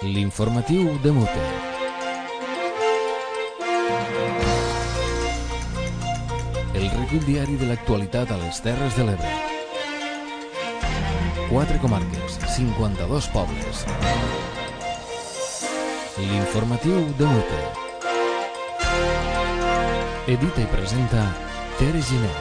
L'informatiu de Mute. El recull diari de l'actualitat a les Terres de l'Ebre. 4 comarques, 52 pobles. L'informatiu de Mute. Edita i presenta Tere Giner.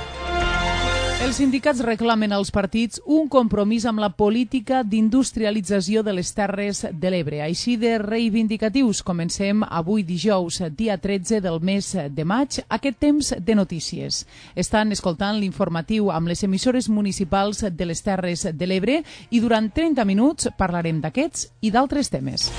Els sindicats reclamen als partits un compromís amb la política d'industrialització de les Terres de l'Ebre. Així de reivindicatius comencem avui dijous, dia 13 del mes de maig, aquest temps de notícies. Estan escoltant l'informatiu amb les emissores municipals de les Terres de l'Ebre i durant 30 minuts parlarem d'aquests i d'altres temes.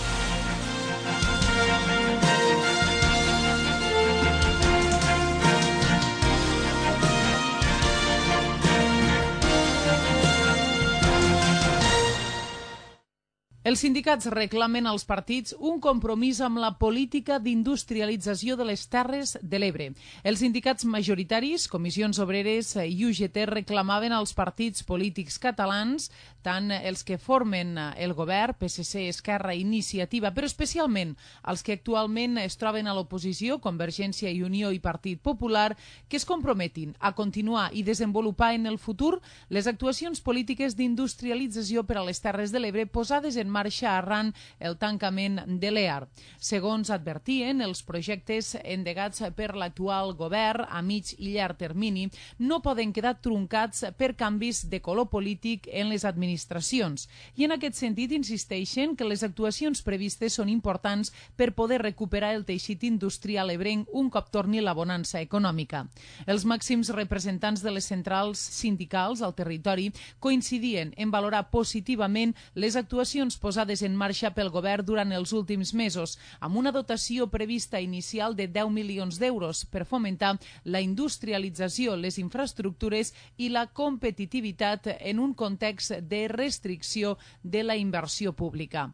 Els sindicats reclamen als partits un compromís amb la política d'industrialització de les Terres de l'Ebre. Els sindicats majoritaris, Comissions Obreres i UGT, reclamaven als partits polítics catalans, tant els que formen el govern, PSC, Esquerra, Iniciativa, però especialment els que actualment es troben a l'oposició, Convergència i Unió i Partit Popular, que es comprometin a continuar i desenvolupar en el futur les actuacions polítiques d'industrialització per a les Terres de l'Ebre posades en marxa arran el tancament de l'EAR. Segons advertien, els projectes endegats per l'actual govern a mig i llarg termini no poden quedar truncats per canvis de color polític en les administracions. I en aquest sentit insisteixen que les actuacions previstes són importants per poder recuperar el teixit industrial ebrenc un cop torni la bonança econòmica. Els màxims representants de les centrals sindicals al territori coincidien en valorar positivament les actuacions posades en marxa pel govern durant els últims mesos, amb una dotació prevista inicial de 10 milions d'euros per fomentar la industrialització, les infraestructures i la competitivitat en un context de restricció de la inversió pública.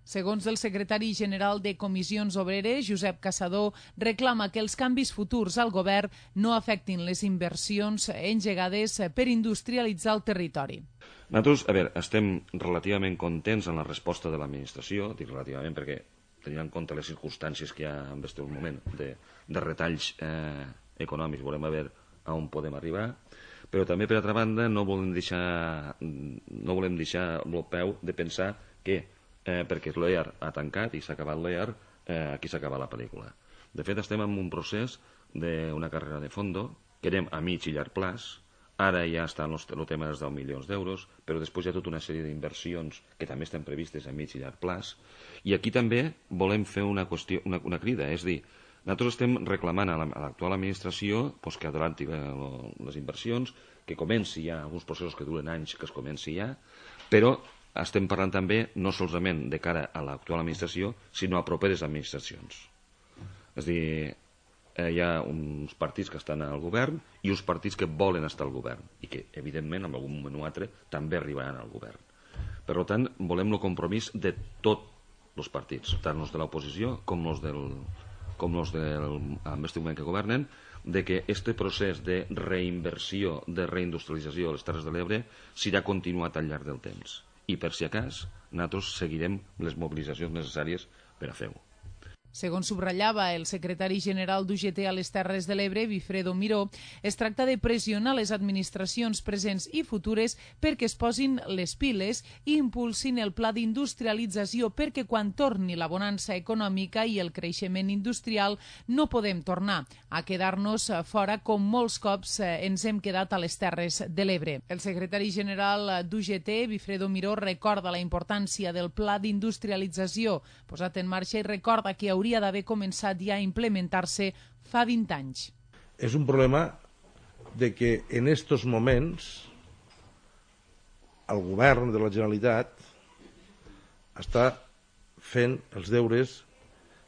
Segons el secretari general de Comissions Obreres, Josep Caçador, reclama que els canvis futurs al govern no afectin les inversions engegades per industrialitzar el territori. Nosaltres, estem relativament contents en la resposta de l'administració, dic relativament perquè tenint en compte les circumstàncies que hi ha en aquest moment de retalls econòmics, volem veure on podem arribar, però també, per altra banda, no volem deixar el peu de pensar que perquè l'EAR ha tancat i s'ha acabat l'EAR, aquí s'acaba la pel·lícula. De fet, estem en un procés d'una carrera de fondo, que anem a mig i llarg plaç. Ara ja està el tema dels 10 milions d'euros, però després hi ha tota una sèrie d'inversions que també estan previstes a mig i llarg plaç. I aquí també volem fer una crida, és a dir, nosaltres estem reclamant a l'actual administració que adelanti les inversions, que comenci ja alguns processos que duren anys, que es comenci ja, però estem parlant també no solament de cara a l'actual administració, sinó a properes administracions. És a dir, hi ha uns partits que estan al govern i uns partits que volen estar al govern i que, evidentment, en algun moment o altre, també arribaran al govern. Per tant, volem el compromís de tots els partits, tant els de l'oposició com els en aquest moment que governen, de que aquest procés de reinversió, de reindustrialització de les Terres de l'Ebre serà continuat al llarg del temps. I per si acas, nosaltres seguirem les mobilitzacions necessàries per a fer-ho. Segons subratllava el secretari general d'UGT a les Terres de l'Ebre, Wilfredo Miró, es tracta de pressionar les administracions presents i futures perquè es posin les piles i impulsin el pla d'industrialització perquè quan torni la bonança econòmica i el creixement industrial no podem tornar a quedar-nos fora com molts cops ens hem quedat a les Terres de l'Ebre. El secretari general d'UGT, Wilfredo Miró, recorda la importància del pla d'industrialització posat en marxa i recorda que hauria d'haver començat ja a implementar-se fa 20 anys. És un problema de que en estos moments el govern de la Generalitat està fent els deures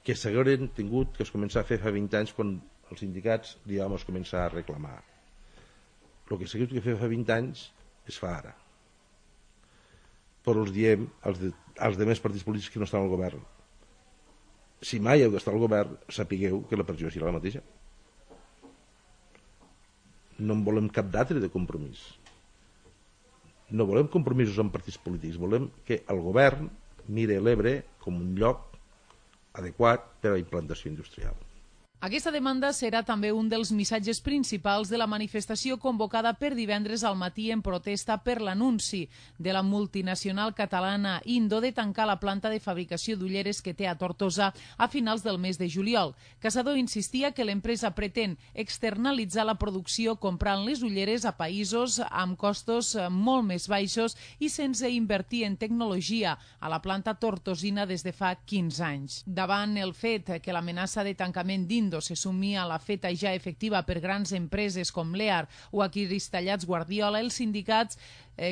que s'hagueren tingut que es començar a fer fa 20 anys quan els sindicats es començar a reclamar. El que s'hagués de fer fa 20 anys es fa ara. Però els diem als demés partits polítics que no estan al govern: si mai heu d'estar al govern, sapigueu que la pressió serà la mateixa. No en volem cap d'altre de compromís. No volem compromisos amb partits polítics, volem que el govern mire l'Ebre com un lloc adequat per a la implantació industrial. Aquesta demanda serà també un dels missatges principals de la manifestació convocada per divendres al matí en protesta per l'anunci de la multinacional catalana Indo de tancar la planta de fabricació d'ulleres que té a Tortosa a finals del mes de juliol. Caçador insistia que l'empresa pretén externalitzar la producció comprant les ulleres a països amb costos molt més baixos i sense invertir en tecnologia a la planta tortosina des de fa 15 anys. Davant el fet que l'amenaça de tancament d'Indo se sumia a la feta ja efectiva per grans empreses com l'EAR o a Cristallats Guardiola, els sindicats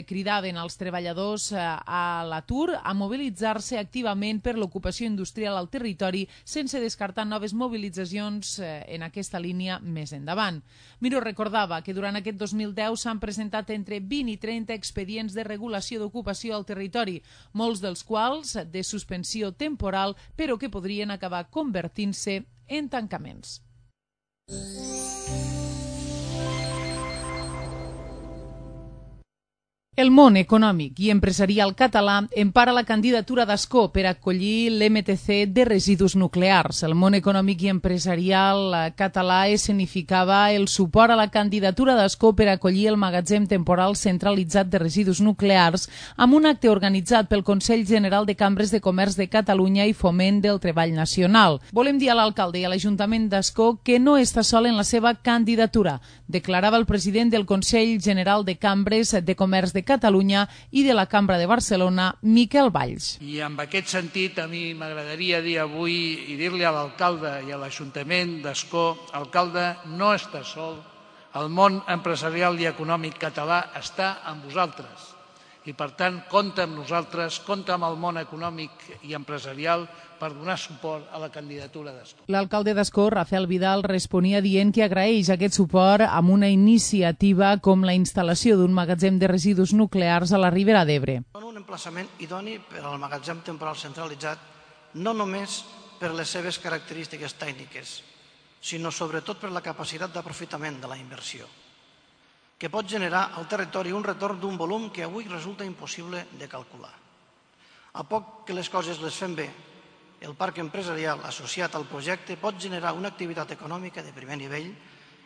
cridaven als treballadors a l'atur a mobilitzar-se activament per l'ocupació industrial al territori sense descartar noves mobilitzacions en aquesta línia més endavant. Miro recordava que durant aquest 2010 s'han presentat entre 20 i 30 expedients de regulació d'ocupació al territori, molts dels quals de suspensió temporal, però que podrien acabar convertint-se en tancaments. El món econòmic i empresarial català empara la candidatura d'Ascó per acollir l'MTC de residus nuclears. El món econòmic i empresarial català escenificava el suport a la candidatura d'Ascó per acollir el magatzem temporal centralitzat de residus nuclears amb un acte organitzat pel Consell General de Cambres de Comerç de Catalunya i Foment del Treball Nacional. Volem dir a l'alcalde i a l'Ajuntament d'Ascó que no està sol en la seva candidatura, declarava el president del Consell General de Cambres de Comerç de Catalunya i de la Cambra de Barcelona, Miquel Valls. I en aquest sentit a mi m'agradaria dir avui i dir-li a l'alcalde i a l'Ajuntament d'Ascó: alcalde, no està sol, el món empresarial i econòmic català està amb vosaltres i per tant compta amb nosaltres, compta amb el món econòmic i empresarial per donar suport a la candidatura d'Ascó. L'alcalde d'Ascó, Rafael Vidal, responia dient que agraeix aquest suport amb una iniciativa com la instal·lació d'un magatzem de residus nuclears a la Ribera d'Ebre. Són un emplaçament idoni per al magatzem temporal centralitzat, no només per les seves característiques tècniques, sinó sobretot per la capacitat d'aprofitament de la inversió, que pot generar al territori un retorn d'un volum que avui resulta impossible de calcular. A poc que les coses les fem bé, el parc empresarial associat al projecte pot generar una activitat econòmica de primer nivell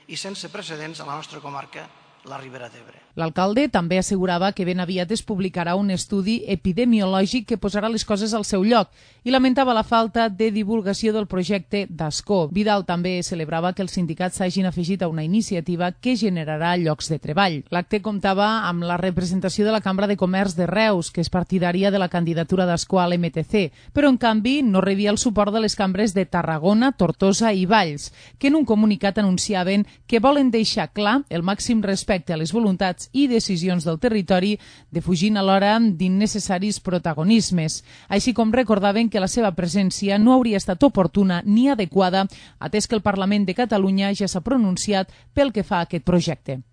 i sense precedents a la nostra comarca, la Ribera d'Ebre. L'alcalde també assegurava que ben aviat es publicarà un estudi epidemiològic que posarà les coses al seu lloc i lamentava la falta de divulgació del projecte d'Ascó. Vidal també celebrava que els sindicats s'hagin afegit a una iniciativa que generarà llocs de treball. L'acte comptava amb la representació de la Cambra de Comerç de Reus, que és partidària de la candidatura d'Ascó a l'MTC, però en canvi no rebia el suport de les cambres de Tarragona, Tortosa i Valls, que en un comunicat anunciaven que volen deixar clar el màxim respecte a les voluntats i decisions del territori, defugint alhora d'innecessaris protagonismes, així com recordaven que la seva presència no hauria estat oportuna ni adequada, atès que el Parlament de Catalunya ja s'ha pronunciat pel que fa a aquest projecte.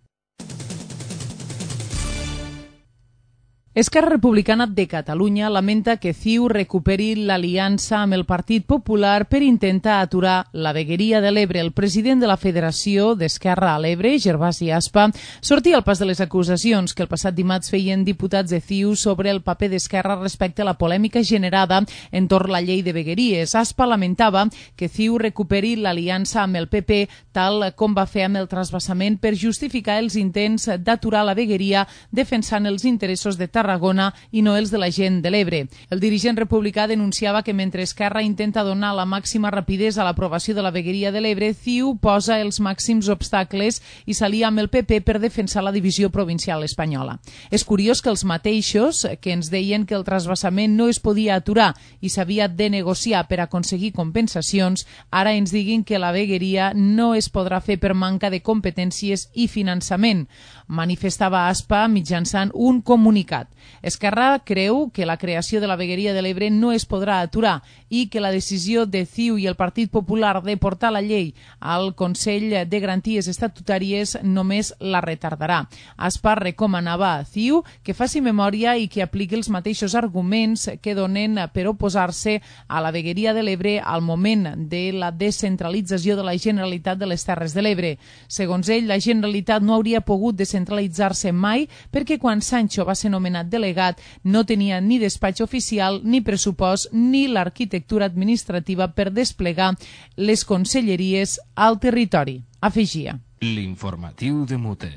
Esquerra Republicana de Catalunya lamenta que CiU recuperi l'aliança amb el Partit Popular per intentar aturar la vegueria de l'Ebre. El president de la Federació d'Esquerra a l'Ebre, Gervasi Aspa, sortia al pas de les acusacions que el passat dimarts feien diputats de CiU sobre el paper d'Esquerra respecte a la polèmica generada entorn la llei de vegueries. Aspa lamentava que CiU recuperi l'aliança amb el PP, tal com va fer amb el transvasament, per justificar els intents d'aturar la vegueria defensant els interessos de Tarragona i no els de la gent de l'Ebre. El dirigent republicà denunciava que mentre Esquerra intenta donar la màxima rapidesa a l'aprovació de la vegueria de l'Ebre, CiU posa els màxims obstacles i s'alia amb el PP per defensar la divisió provincial espanyola. És curiós que els mateixos que ens deien que el transvasament no es podia aturar i s'havia de negociar per aconseguir compensacions, ara ens diguin que la vegueria no es podrà fer per manca de competències i finançament. Manifestava Aspa mitjançant un comunicat. Esquerra creu que la creació de la vegueria de l'Ebre no es podrà aturar i que la decisió de CiU i el Partit Popular de portar la llei al Consell de Garanties Estatutàries només la retardarà. Aspa recomanava a CiU que faci memòria i que apliqui els mateixos arguments que donen per oposar-se a la vegueria de l'Ebre al moment de la descentralització de la Generalitat de les Terres de l'Ebre. Segons ell, la Generalitat no hauria pogut descentralitzar-se mai perquè quan Sancho va ser nomenat delegat no tenia ni despatx oficial, ni pressupost, ni l'arquitectura administrativa per desplegar les conselleries al territori. Afegia. L'informatiu de Mute.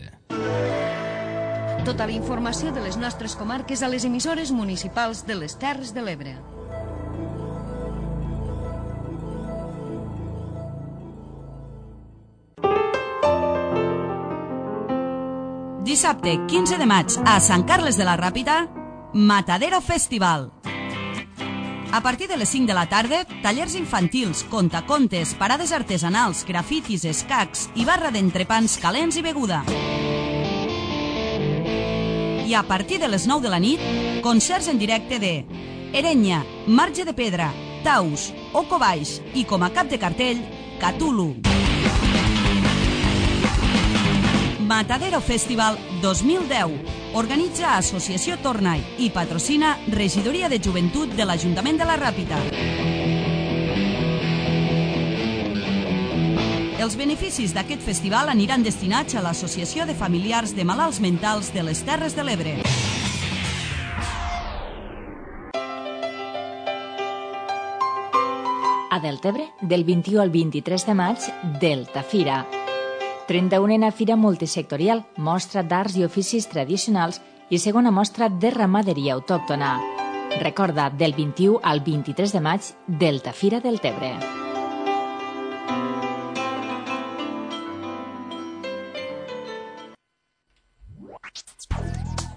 Tota la informació de les nostres comarques a les emissores municipals de les Terres de l'Ebre. Dissabte 15 de maig a Sant Carles de la Ràpita, Matadero Festival. A partir de les 5 de la tarda, tallers infantils, contacontes, parades artesanals, grafitis, escacs i barra d'entrepans calents i beguda. I a partir de les 9 de la nit, concerts en directe de Erenya, Marge de Pedra, Taus, Oco Baix i com a cap de cartell, Cthulhu. Matadero Festival 2010. Organitza Associació Tornai i patrocina Regidoria de Joventut de l'Ajuntament de la Ràpita. Els beneficis d'aquest festival aniran destinats a l'Associació de Familiars de Malalts Mentals de les Terres de l'Ebre. A Deltebre, del 21 al 23 de maig, Deltafira. 31a Fira Multisectorial, mostra d'arts i oficis tradicionals i segona mostra de ramaderia autòctona. Recorda, del 21 al 23 de maig, Deltafira Deltebre.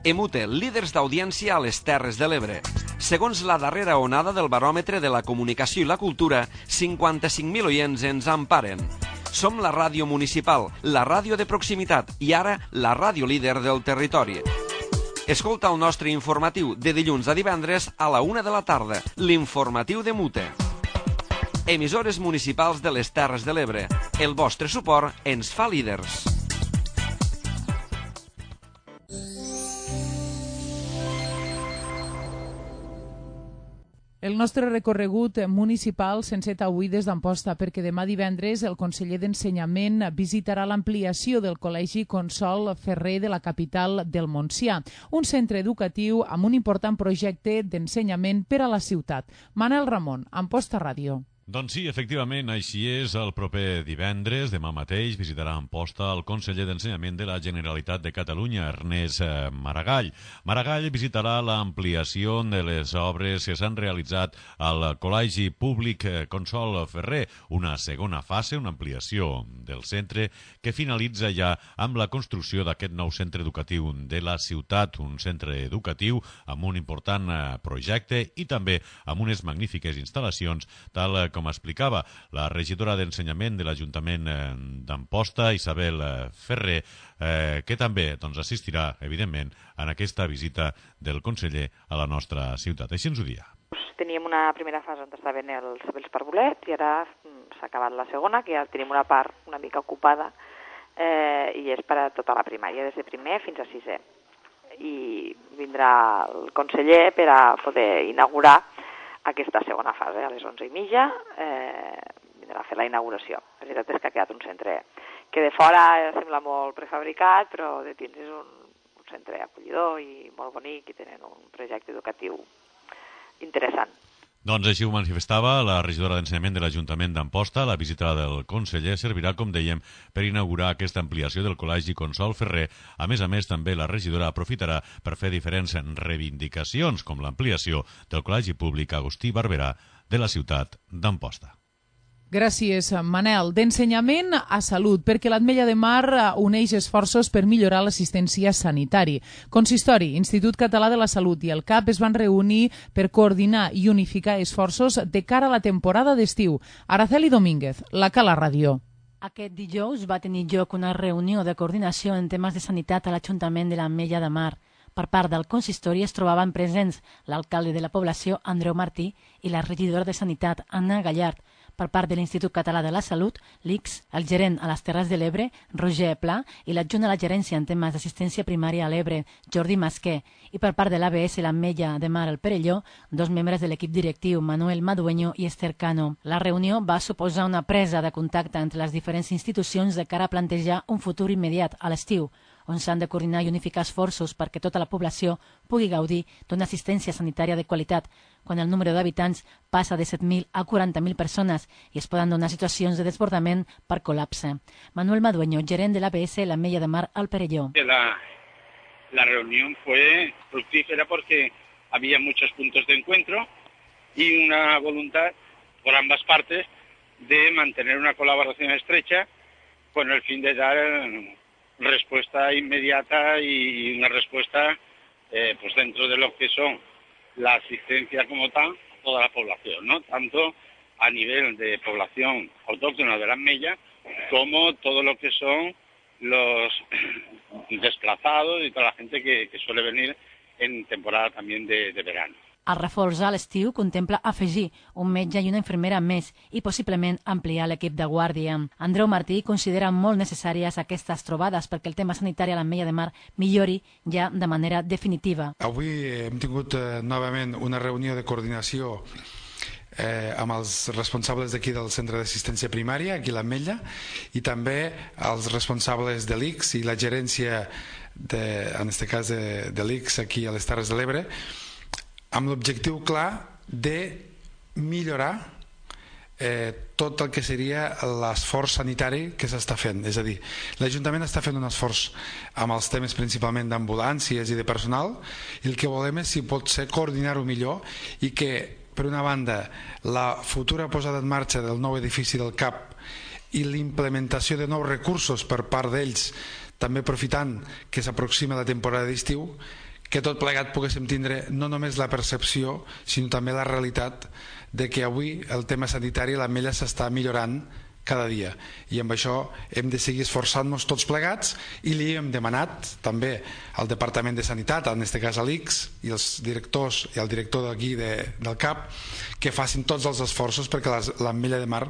Emute, líders d'audiència a les Terres de l'Ebre. Segons la darrera onada del baròmetre de la comunicació i la cultura, 55.000 oients ens emparen. Som la ràdio municipal, la ràdio de proximitat i ara la ràdio líder del territori. Escolta el nostre informatiu de dilluns a divendres a la 1 de la tarda, l'informatiu de Mute. Emissores municipals de les Terres de l'Ebre. El vostre suport ens fa líders. El nostre recorregut municipal s'enceta avui des d'Amposta perquè demà divendres el conseller d'Ensenyament visitarà l'ampliació del Col·legi Consol Ferrer de la capital del Montsià, un centre educatiu amb un important projecte d'ensenyament per a la ciutat. Manel Ramon, Amposta Ràdio. Doncs sí, efectivament, així és. El proper divendres, demà mateix, visitarà Amposta el conseller d'Ensenyament de la Generalitat de Catalunya, Ernest Maragall. Maragall visitarà l'ampliació de les obres que s'han realitzat al Col·legi Públic Consol Ferrer, una segona fase, una ampliació del centre que finalitza ja amb la construcció d'aquest nou centre educatiu de la ciutat, un centre educatiu amb un important projecte i també amb unes magnífiques instal·lacions, tal com explicava la regidora d'Ensenyament de l'Ajuntament d'Amposta, Isabel Ferrer, que també assistirà, evidentment, en aquesta visita del conseller a la nostra ciutat. Així ens ho dia. Teníem una primera fase on estaven els parvulets i ara s'ha acabat la segona, que ja tenim una part una mica ocupada i és per a tota la primària, des de primer fins a sisè. I vindrà el conseller per a poder inaugurar aquesta segona fase, a les 11:30, vindrà a fer la inauguració. La veritat és que ha quedat un centre que de fora sembla molt prefabricat, però de dins és un centre acollidor i molt bonic i tenen un projecte educatiu interessant. Doncs així ho manifestava la regidora d'Ensenyament de l'Ajuntament d'Amposta. La visita del conseller servirà, com dèiem, per inaugurar aquesta ampliació del Col·legi Consol Ferrer. A més, també la regidora aprofitarà per fer diferents reivindicacions, com l'ampliació del Col·legi Públic Agustí Barberà de la ciutat d'Amposta. Gràcies, Manel. D'ensenyament a salut, perquè l'Ametlla de Mar uneix esforços per millorar l'assistència sanitari. Consistori, Institut Català de la Salut i el CAP es van reunir per coordinar i unificar esforços de cara a la temporada d'estiu. Araceli Domínguez, la Cala Ràdio. Aquest dijous va tenir lloc una reunió de coordinació en temes de sanitat a l'Ajuntament de l'Ametlla de Mar. Per part del consistori es trobaven presents l'alcalde de la població, Andreu Martí, i la regidora de Sanitat, Anna Gallard. Per part de l'Institut Català de la Salut, l'ICS, el gerent a les Terres de l'Ebre, Roger Pla, i l'adjunt a la gerència en temes d'assistència primària a l'Ebre, Jordi Masquer, i per part de l'ABS l'Ametlla de Mar al Perelló, dos membres de l'equip directiu, Manuel Madueño i Esther Cano. La reunió va suposar una presa de contacte entre les diferents institucions de cara a plantejar un futur immediat a l'estiu, on s'han de coordinar i unificar esforços perquè tota la població pugui gaudir d'una assistència sanitària de qualitat, quan el número d'habitants passa de 7.000 a 40.000 persones i es poden donar situacions de desbordament per col·lapse. Manuel Madueño, gerent de l'ABS La Mella de Mar al Perelló. La reunión fue fructífera porque había muchos puntos de encuentro y una voluntad por ambas partes de mantener una colaboración estrecha con el fin de dar respuesta inmediata y una respuesta pues dentro de lo que son la asistencia como tal a toda la población, ¿no? Tanto a nivel de población autóctona de las Mellas como todo lo que son los desplazados y toda la gente que suele venir en temporada también de verano. El reforç a l'estiu contempla afegir un metge i una infermera més i possiblement ampliar l'equip de guàrdia. Andreu Martí considera molt necessàries aquestes trobades perquè el tema sanitari a l'Ametlla de Mar millori ja de manera definitiva. Avui hem tingut novament una reunió de coordinació amb els responsables d'aquí del centre d'assistència primària, aquí a l'Ametlla, i també els responsables de l'ICS i la gerència, en aquest cas de l'ICS aquí a les Terres de l'Ebre, amb l'objectiu clar de millorar tot el que seria l'esforç sanitari que s'està fent. És a dir, l'Ajuntament està fent un esforç amb els temes principalment d'ambulàncies i de personal, i el que volem és, si pot ser, coordinar-ho millor i que, per una banda, la futura posada en marxa del nou edifici del CAP i l'implementació de nous recursos per part d'ells, també aprofitant que s'aproxima la temporada d'estiu, que tot plegat poguéssim tindre no només la percepció, sinó també la realitat de que avui el tema sanitari a l'Ametlla s'està millorant cada dia, i amb això hem de seguir esforçant-nos tots plegats, i li hem demanat també al Departament de Sanitat, en aquest cas a l'ICS, i els directors i el director d'aquí del CAP, que facin tots els esforços perquè l'Ametlla de Mar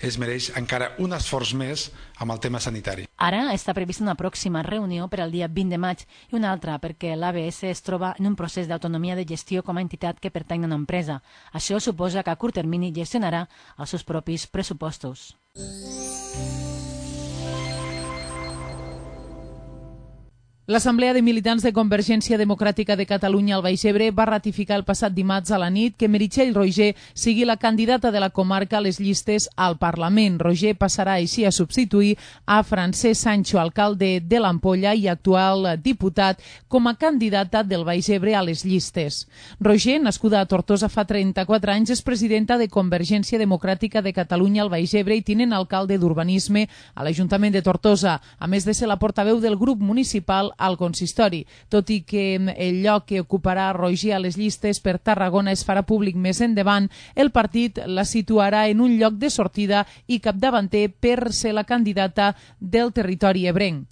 es mereix encara un esforç més amb el tema sanitari. Ara està prevista una pròxima reunió per al dia 20 de maig i una altra perquè l'ABS es troba en un procés d'autonomia de gestió com a entitat que pertany a una empresa. Això suposa que a curt termini gestionarà els seus propis pressupostos. L'Assemblea de Militants de Convergència Democràtica de Catalunya al Baix Ebre va ratificar el passat dimarts a la nit que Meritxell Roigé sigui la candidata de la comarca a les llistes al Parlament. Roigé passarà així a substituir a Francesc Sancho, alcalde de l'Ampolla i actual diputat, com a candidata del Baix Ebre a les llistes. Roigé, nascuda a Tortosa fa 34 anys, és presidenta de Convergència Democràtica de Catalunya al Baix Ebre i tinent alcalde d'Urbanisme a l'Ajuntament de Tortosa, a més de ser la portaveu del grup municipal al consistori. Tot i que el lloc que ocuparà Roigé a les llistes per Tarragona es farà públic més endavant, el partit la situarà en un lloc de sortida i capdavanter per ser la candidata del territori ebrenc.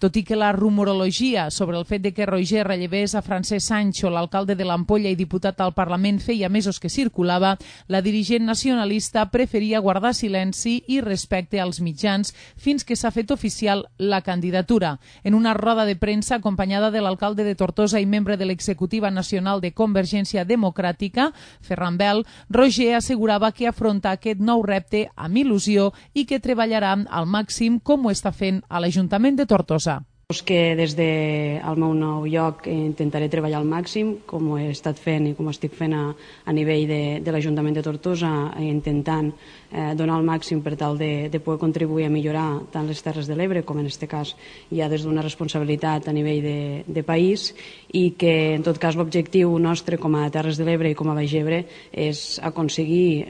Tot i que la rumorologia sobre el fet de que Roigé rellevés a Francesc Sancho, l'alcalde de l'Ampolla i diputat al Parlament, feia mesos que circulava, la dirigent nacionalista preferia guardar silenci i respecte als mitjans fins que s'ha fet oficial la candidatura. En una roda de premsa acompanyada de l'alcalde de Tortosa i membre de l'executiva nacional de Convergència Democràtica, Ferran Bel, Roigé assegurava que afronta aquest nou repte amb il·lusió i que treballarà al màxim com ho està fent a l'Ajuntament de Tortosa. Que des del meu nou lloc intentaré treballar al màxim, com ho he estat fent i com ho estic fent a nivell de l'Ajuntament de Tortosa, intentant donar el màxim per tal de poder contribuir a millorar tant les Terres de l'Ebre com en aquest cas ja des d'una responsabilitat a nivell de país, i que en tot cas l'objectiu nostre com a Terres de l'Ebre i com a Baix Ebre és aconseguir,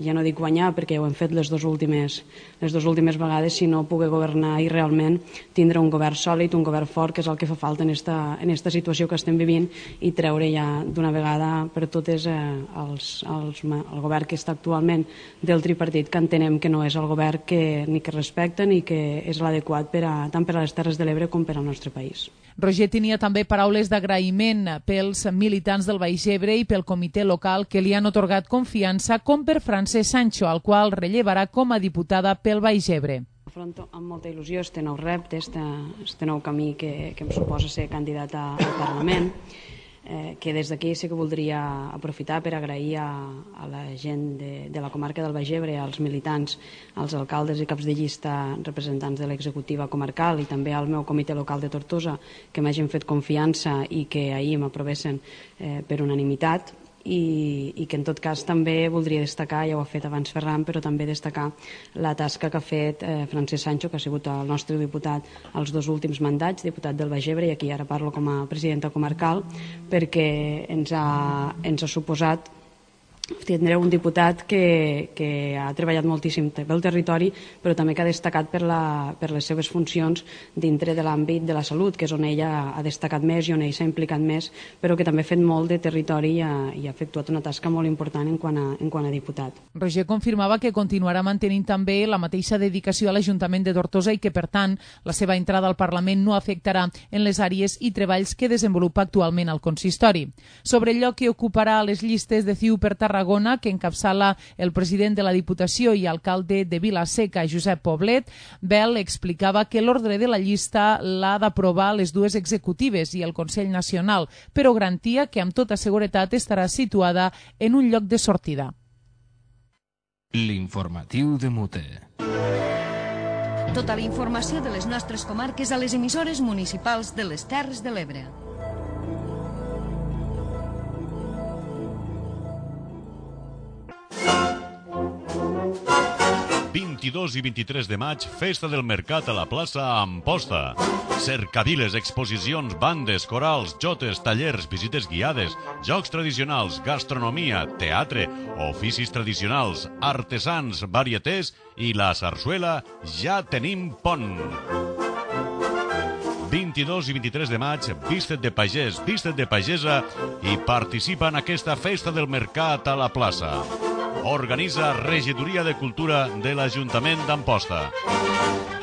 ja no dic guanyar perquè ho hem fet les dues últimes vegades, sinó poder governar i realment tindre un govern sòlid, un govern fort, que és el que fa falta en esta situació que estem vivint, i treure ja d'una vegada per totes el govern que està actualment del tripartit, que entenem que no és el govern ni que respecta ni que és l'adequat tant per a les Terres de l'Ebre com per al nostre país. Roger tenia també paraules d'agraïment pels militants del Baix Ebre i pel comitè local que li han otorgat confiança, com per Francesc Sancho, al qual rellevarà com a diputada pel Baix Ebre. Afronto amb molta il·lusió este nou repte, este nou camí que em suposa ser candidata al Parlament. que des d'aquí sí que voldria aprofitar per agrair a la gent de la comarca del Baix Ebre, als militants, als alcaldes i caps de llista representants de l'executiva comarcal i també al meu comitè local de Tortosa, que m'hagin fet confiança i que ahir m'aprovessin per unanimitat. I que en tot cas també voldria destacar, ja ho ha fet abans Ferran, però també destacar la tasca que ha fet Francesc Sancho, que ha sigut el nostre diputat els 2 últims mandats, diputat del Baix Ebre, i aquí ara parlo com a presidenta comarcal, perquè ens ha suposat tindré un diputat que ha treballat moltíssim pel territori, però també que ha destacat per les seves funcions dintre de l'àmbit de la salut, que és on ella ha destacat més i on ell s'ha implicat més, però que també ha fet molt de territori i ha efectuat una tasca molt important en quant a diputat. Roger confirmava que continuarà mantenint també la mateixa dedicació a l'Ajuntament de Tortosa i que, per tant, la seva entrada al Parlament no afectarà en les àrees i treballs que desenvolupa actualment al consistori. Sobre el lloc que ocuparà les llistes de CiU per Tarragona, que encapçala el president de la Diputació i alcalde de Vila-seca, Josep Poblet, Bel explicava que l'ordre de la llista l'ha d'aprovar les 2 executives i el Consell Nacional, però garantia que amb tota seguretat estarà situada en un lloc de sortida. L'informatiu de Mute. Tota la informació de les nostres comarques a les emissores municipals de les Terres de l'Ebre. 22 i 23 de maig, Festa del Mercat a la plaça Amposta. Cercaviles, exposicions, bandes, corals, jotes, tallers, visites guiades, jocs tradicionals, gastronomia, teatre, oficis tradicionals, artesans, varietés i la sarsuela Ja tenim pont. 22 i 23 de maig, vístet de pagès, vístet de pagesa i participa en aquesta Festa del Mercat a la plaça. Organitza Regidoria de Cultura de l'Ajuntament d'Amposta.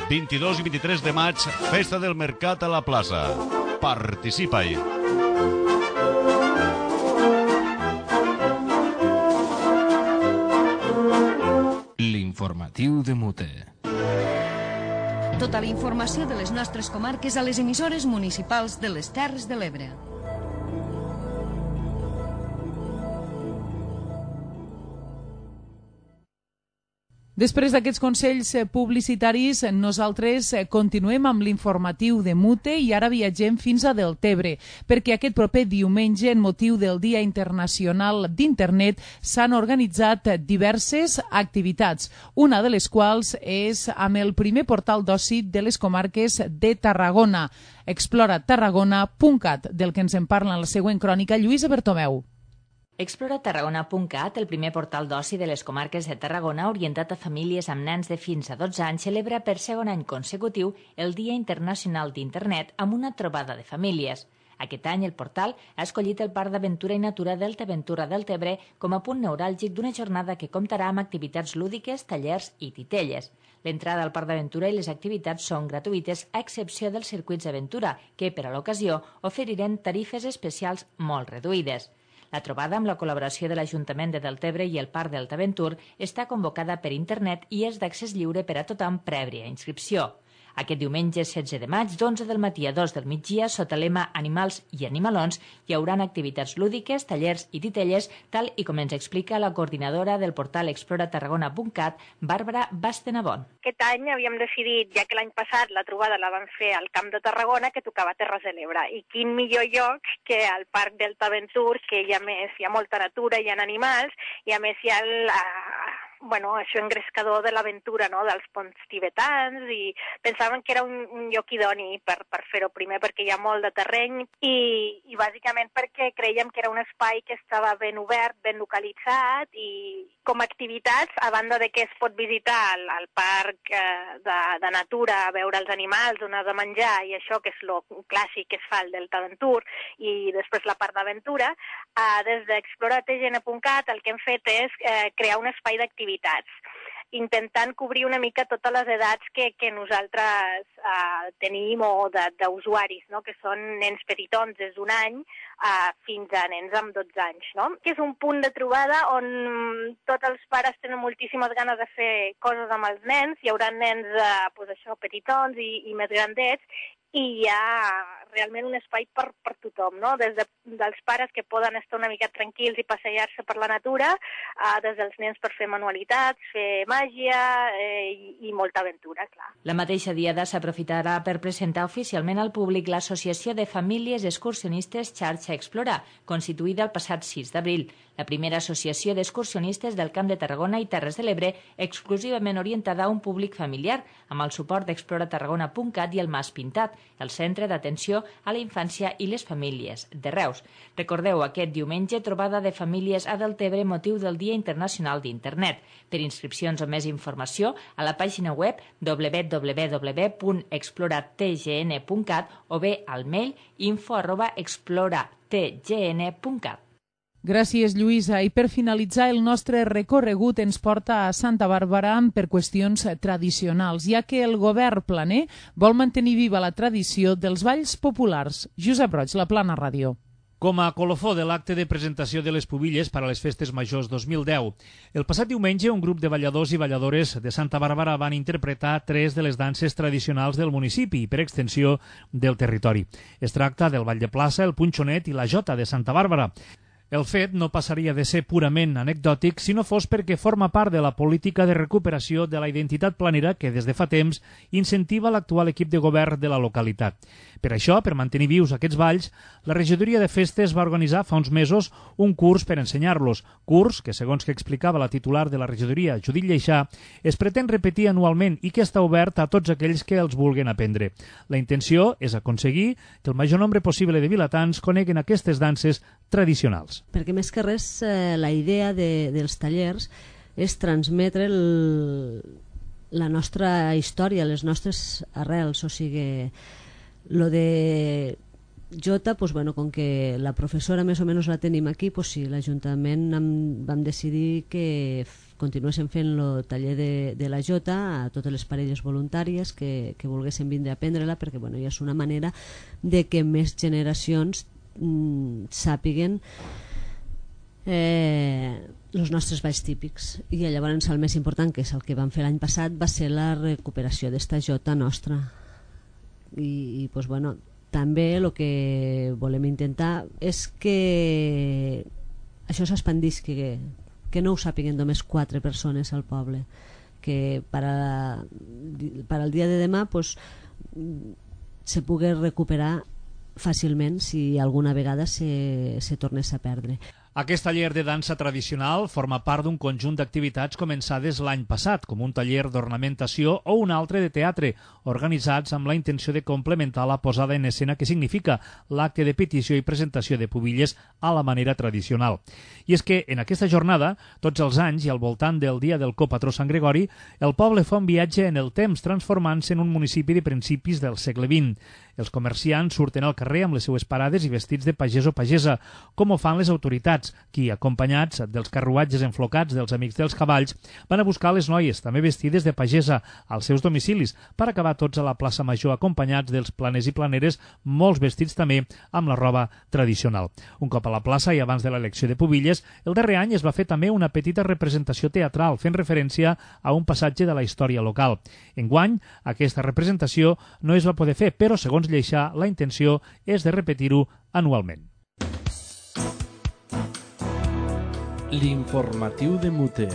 22 i 23 de maig, Festa del Mercat a la plaça. Participa-hi. L'informatiu de Mute. Tota la informació de les nostres comarques a les emissores municipals de les Terres de l'Ebre. Després d'aquests consells publicitaris, nosaltres continuem amb l'informatiu de Mute i ara viatgem fins a Deltebre, perquè aquest proper diumenge, en motiu del Dia Internacional d'Internet, s'han organitzat diverses activitats, una de les quals és amb el primer portal d'oci de les comarques de Tarragona, exploratarragona.cat, del que ens en parla en la següent crònica Lluïsa Bertomeu. Exploratarragona.cat, el primer portal d'oci de les comarques de Tarragona orientat a famílies amb nens de fins a 12 anys, celebra per segon any consecutiu el Dia Internacional d'Internet amb una trobada de famílies. Aquest any el portal ha escollit el Parc d'Aventura i Natura Deltaventura Deltebre com a punt neuràlgic d'una jornada que comptarà amb activitats lúdiques, tallers i titelles. L'entrada al Parc d'Aventura i les activitats són gratuïtes a excepció dels circuits d'aventura, que per a l'ocasió oferiran tarifes especials molt reduïdes. La trobada, amb la col·laboració de l'Ajuntament de Deltebre i el Parc Deltaventur, està convocada per internet i és d'accés lliure per a tothom prèvia inscripció. Aquest diumenge 16 de maig, d'11 del matí a 2 del migdia, sota lema Animals i Animalons, hi haurà activitats lúdiques, tallers i titelles, tal i com ens explica la coordinadora del portal exploratarragona.cat, Bàrbara Bastenabon. Aquest any havíem decidit, ja que l'any passat la trobada la vam fer al Camp de Tarragona, que tocava Terres de l'Ebre. I quin millor lloc que al Parc Deltaventur, que hi ha molta natura, hi ha animals, i a més hi ha això engrescador de l'aventura, no?, dels ponts tibetans, i pensaven que era un lloc idoni per fer-ho, primer perquè hi ha molt de terreny i bàsicament perquè creiem que era un espai que estava ben obert, ben localitzat, i com a activitats, a banda de que es pot visitar el parc de natura, veure els animals, donar de menjar i això, que és el clàssic que es fa al Deltaventur, i després la part d'aventura, des d'exploratgn.cat el que hem fet és crear un espai d'activitats, intentant cobrir una mica totes les edats que nosaltres tenim o d'usuaris, no?, que són nens petitons des d'un any fins a nens amb 12 anys, no? Que és un punt de trobada on tots els pares tenen moltíssimes ganes de fer coses amb els nens, hi haurà nens petitons i més grandets, i hi ha realment un espai per tothom, no? Des dels pares que poden estar una mica tranquils i passejar-se per la natura, des dels nens per fer manualitats, fer màgia i molta aventura, clar. La mateixa diada s'aprofitarà per presentar oficialment al públic l'Associació de Famílies Excursionistes Xarxa Explora, constituïda el passat 6 d'abril, la primera associació d'excursionistes del Camp de Tarragona i Terres de l'Ebre exclusivament orientada a un públic familiar, amb el suport d'exploratarragona.cat i el Mas Pintat, el centre d'atenció a la infància i les famílies de Reus. Recordeu, aquest diumenge, trobada de famílies a Deltebre motiu del Dia Internacional d'Internet. Per inscripcions o més informació, a la pàgina web www.exploratgn.cat o bé al mail info@exploratgn.cat. Gràcies, Lluïsa. I per finalitzar, el nostre recorregut ens porta a Santa Bàrbara per qüestions tradicionals, ja que el govern planer vol mantenir viva la tradició dels balls populars. Josep Roig, La Plana Ràdio. Com a colofó de l'acte de presentació de les pubilles per a les Festes Majors 2010. El passat diumenge, un grup de balladors i balladores de Santa Bàrbara van interpretar 3 de les danses tradicionals del municipi i, per extensió, del territori. Es tracta del ball de plaça, el punxonet i la jota de Santa Bàrbara. El fet no passaria de ser purament anecdòtic si no fos perquè forma part de la política de recuperació de la identitat planera que des de fa temps incentiva l'actual equip de govern de la localitat. Per això, per mantenir vius aquests balls, la regidoria de festes va organitzar fa uns mesos un curs per ensenyar-los, curs que, segons que explicava la titular de la regidoria, Judit Lleixà, es pretén repetir anualment i que està obert a tots aquells que els vulguin aprendre. La intenció és aconseguir que el major nombre possible de vilatans coneguen aquestes danses tradicionals. Perquè més que res la idea dels tallers és transmetre la nostra història, les nostres arrels, o sigui, lo de jota, pues bueno, com que la professora més o menys la tenim aquí, pues sí, l'Ajuntament vam decidir que continuéssim fent el taller de la jota a totes les parelles voluntàries que volguessin vindre a aprendre-la, perquè bueno, ja és una manera de que més generacions sàpiguen els nostres balls típics. I llavors el més important, que és el que vam fer l'any passat, va ser la recuperació d'esta jota nostra. I pues bueno, també el que volem intentar és que això s'expandís, que no ho sàpiguen només 4 persones al poble, que per al dia de demà pues, se pugui recuperar fàcilment si alguna vegada se tornés a perdre. Aquest taller de dansa tradicional forma part d'un conjunt d'activitats començades l'any passat, com un taller d'ornamentació o un altre de teatre, organitzats amb la intenció de complementar la posada en escena que significa l'acte de petició i presentació de pubilles a la manera tradicional. I és que en aquesta jornada, tots els anys i al voltant del dia del copatró Sant Gregori, el poble fa un viatge en el temps transformant-se en un municipi de principis del segle XX. Els comerciants surten al carrer amb les seues parades i vestits de pagès o pagesa, com ho fan les autoritats, qui, acompanyats dels carruatges enflocats dels amics dels cavalls, van a buscar les noies, també vestides de pagesa, als seus domicilis, per acabar tots a la plaça Major acompanyats dels planers i planeres, molts vestits també amb la roba tradicional. Un cop a la plaça i abans de l'elecció de pubilles, el darrer any es va fer també una petita representació teatral, fent referència a un passatge de la història local. Enguany, aquesta representació no es va poder fer, però, segons Lleixà, la intenció és de repetir-ho anualment. L'informatiu de Muter.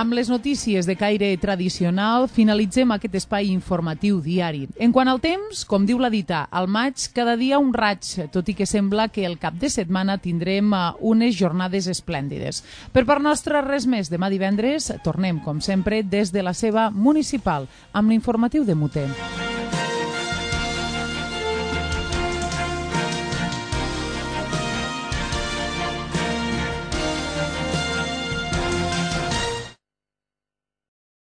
Amb les notícies de caire tradicional finalitzem aquest espai informatiu diari. En quant al temps, com diu la dita, al maig cada dia un raig, tot i que sembla que el cap de setmana tindrem unes jornades esplèndides. Per part nostra, res més. Demà divendres tornem, com sempre, des de la seva municipal, amb l'informatiu de Muter.